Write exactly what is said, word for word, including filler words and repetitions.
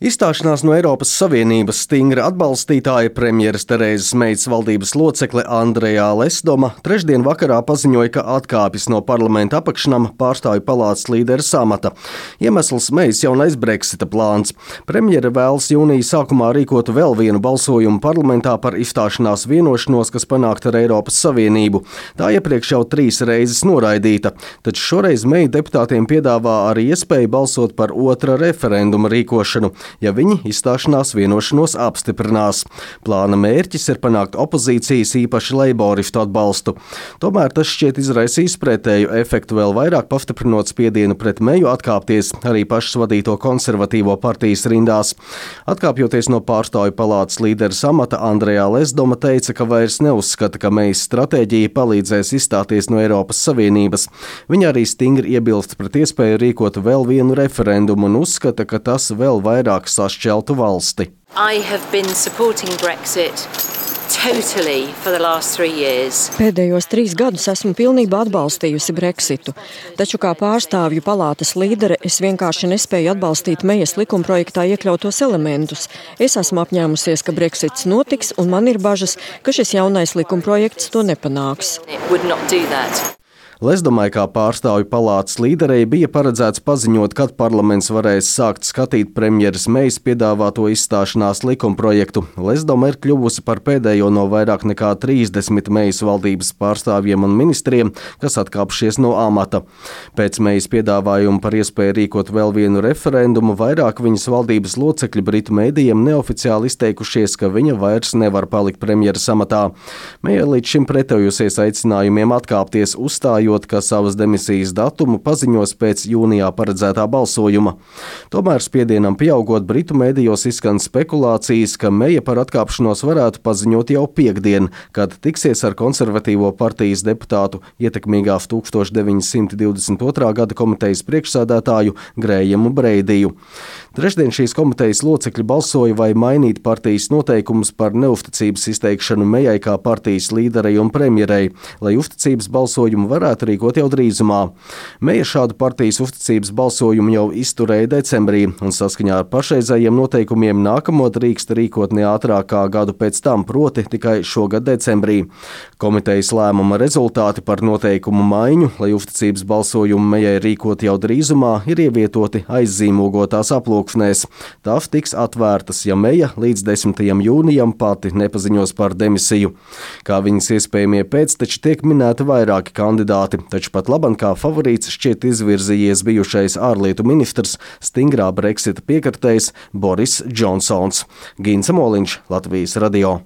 Izstāšanās no Eiropas Savienības stingra atbalstītāja premjeras Terēzes Mejas valdības locekle Andreja Lesdoma trešdien vakarā paziņoja, ka atkāpjas no parlamenta apakšnama pārstāvju palātas līderes amata. Iemesls Mejas jaunais Brexita plāns. Premjere vēlas jūnija sākumā rīkot vēl vienu balsojumu parlamentā par izstāšanās vienošanos, kas panākta ar Eiropas Savienību. Tā iepriekš jau trīs reizes noraidīta, taču šoreiz Meja deputātiem piedāvā arī iespēju balsot par otra referenduma rīkošanu, ja viņi izstāšanās vienošanos apstiprinās. Plāna mērķis ir panākt opozīcijas, īpaši leiboristu atbalstu. Tomēr tas šķiet izraisīs pretēju efektu, vēl vairāk pastiprinot spiedienu pret Meju atkāpties arī pašas vadīto konservatīvo partijas rindās. Atkāpjoties no pārstāvju palātas līderes amata, Andreja Lesdoma teica, ka vairs neuzskata, ka Mejas stratēģija palīdzēs izstāties no Eiropas Savienības. Viņa arī stingri iebilst pret iespēju rīkot vēl vienu referendumu un uzskata, ka tas vēl vairāk sašķeltu valsti. I have been supporting Brexit totally for the last three years. Pēdējos trīs gadus esmu pilnībā atbalstījusi Brexitu, taču kā pārstāvju palātas līdere es vienkārši nespēju atbalstīt Mejas likumprojektā iekļautos elementus. Es esmu apņēmusies, ka Brexits notiks, un man ir bažas, ka šis jaunais likumprojekts to nepanāks. It would not do that. Lesdomai kā pārstāvju palātas līderei bija paredzēts paziņot, kad parlaments varēs sākt skatīt premjeras Mejas piedāvāto izstāšanās likumprojektu. Lesdoma ir kļuvusi par pēdējo no vairāk nekā trīsdesmit Mejas valdības pārstāvjiem un ministriem, kas atkāpšies no amata. Pēc Mejas piedāvājuma par iespēju rīkot vēl vienu referendumu, vairāk viņas valdības locekļi Britu mēdījiem neoficiāli izteikušies, ka viņa vairs nevar palikt premjeras amatā. Meja līdz šim pretojusies aicinājumiem atkāpties, uzstājot, ka savas demisijas datumu paziņos pēc jūnijā paredzētā balsojuma. Tomēr spiedienam pieaugot, Britu mēdījos izskan spekulācijas, ka Meja par atkāpšanos varētu paziņot jau piektdien, kad tiksies ar konservatīvo partijas deputātu ietekmīgās tūkstoš deviņi simti divdesmit otrā gada komitejas priekšsēdētāju Grējamu Breidiju. Trešdien šīs komitejas locekļi balsoja, vai mainīt partijas noteikumus par neuzticības izteikšanu Mejai kā partijas līderei un premjerei, lai uzticības balsojumu varētu rīkot jau drīzumā. Meja šādu partijas uzticības balsojumu jau izturēja decembrī, un saskaņā ar pašreizējiem noteikumiem nākamo drīkst rīkot ne ātrāk kā gadu pēc tam, proti tikai šogad decembrī. Komitejas lēmuma rezultāti par noteikumu maiņu, lai uzticības balsojumu Mejai rīkot jau drīzumā, ir ievietoti aizzīmogotās aplūksnēs. Tās tiks atvērtas, ja Meja līdz desmitajam jūnijam pati nepaziņos par demisiju. Kā viņas iespējamie pēcteči tiek minēti vairāki kandidāti, taču pat labam kā favorīts šķiet izvirzījies bijušais ārlietu ministrs, stingrā Brexita piekritējs Boris Džonsons. Gints Moliņš, Latvijas radio.